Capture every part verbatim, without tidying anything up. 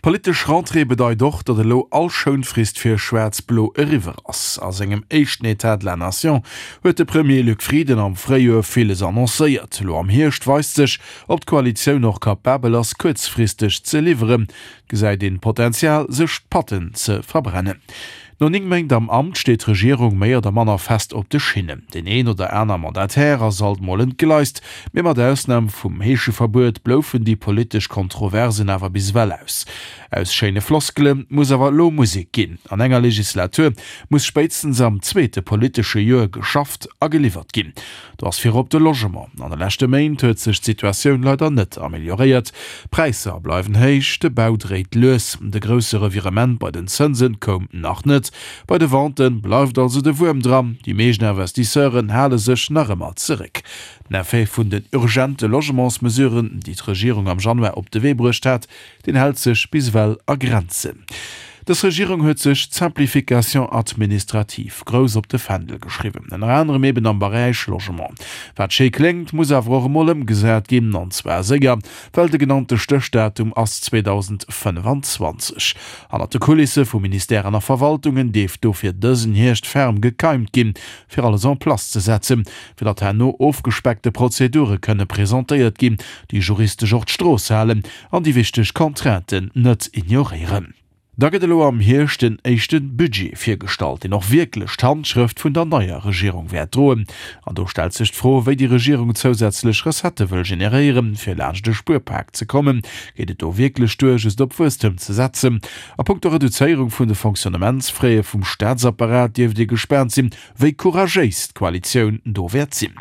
D'politesch Rentrée bedeit och, datt elo all Schounfrist fir Schwaarz-Blo eriwwer ass. A sengem éischten État de la Nation huet de Premier Luc Frieden am Fréijoer villes annoncéiert. Elo am Hierscht weist sech, ob d'Koalitioun och kapabel ass, kuerzfristeg ze liwweren. Et gesäit een Potenzial, sech d'Patten ze verbrennen. No néng Méint am Amt steet d'Regierung méi oder manner fest op de Schinnen. Deen een oder aner Mandataire ass alt mol entgleist, mee mat Ausnam vum Heescheverbuet bloufen déi politesch Kontroversen awer bis ewell aus. Aus schéine Floskele muss awer elo Musek ginn. An enger Legislatur muss spéitstens am zweete politesche Joer geschafft a geliwwert ginn. Do ass virop de Logement. An de leschte Méint huet sech d'Situatioun leider net amelioréiert. D'Präisser bleiwen héich, de Bau dréit lues. De grousse Revirement bei den Zënse koum nach net. Bei de Vente bleift also de Wuerm dran. Déi meescht Investisseuren hale sech nach ëmmer zeréck. Den Effet vun den urgente Logementsmesuren, déi d'Regierung am Januar op de Wee bruecht hat, deen hält sech bis ewell a Grenzen. Dës Regierung huet sech d'Simplification administrative grouss op de Fändel geschriwwen, ënner anerem eben am Beräich Logement. Wat schéi kléngt, muss awer och emol ëmgesat ginn, an zwar séier, well de genannte Stéchdatum ass zweedausendfënnefanzwanzeg. Hannert de Kulisse vu Ministèren a Verwaltungen dierft dofir dësen Hierscht ferm gekeimt ginn, fir alles en place ze setzen, fir datt herno ofgespeckte Prozedure kënne presentéiert ginn, déi juristesch och d'Strooss halen an déi wichteg Contrainten net ignoréieren. Da gëtt elo am Hierscht den éischte Budget virgestallt, deen och wierklech d'Handschrëft vun der neier Regierung wäert droen. An do stellt sech d'Fro, wéi déi Regierung zousätzlech Recettë wëll generéieren, fir laanscht e Spuerpak ze kommen. Geet et do wierklech duer, just op Wuesstem ze setzen? A punkto Reduzéierung vun de Fonctionnementsfraie vum Staatsapparat dierft ee gespaant sinn, wéi couragéis d'Koalitioun do wäert sinn.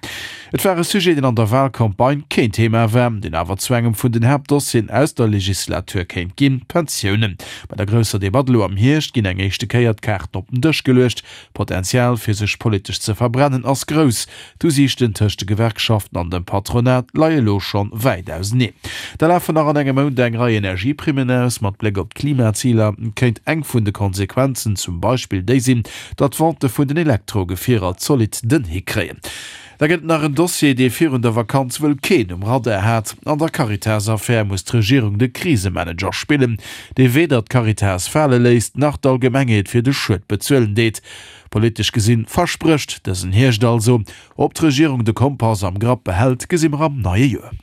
Et war e Sujet, deen an der Walcampagne keen Thema war, deen awer zu engem vun den Haaptdossieren aus der Legislatur kéint ginn, d'Pensiounen. Bei der grousser Debatt elo am Hierscht ginn eng éischte Kéier d'Kaarten op den Dësch geluecht. D'Potenzial fir sech politesch ze verbrennen ass grouss. D'Usiichten tëscht de Gewerkschaften an dem Patronat leie elo schonn wäit auseneen. Da lafen nach an engem Mount eng Rei Energieprimmen aus. Mat Bléck op d'Klimaziler kéint eng vun de Konsequenzen zum Beispill déi sinn, datt d'Vente vun den Elektrogefierer zolidd den Hick kréien. Da gëtt et nach en Dossier, dee virun der Vakanz wuel keen um Radar hat. An der Caritas-Affär muss d'Regierung de Krisemanager spillen, dee weder d'Caritas fale léisst, nach d'Allgemengheet fir de Schued bezuelen deet. Politesch gesinn versprécht dësen Hierscht also. Ob d'Regierung de Kompass am Grapp behält, gesi mer am neie Joer.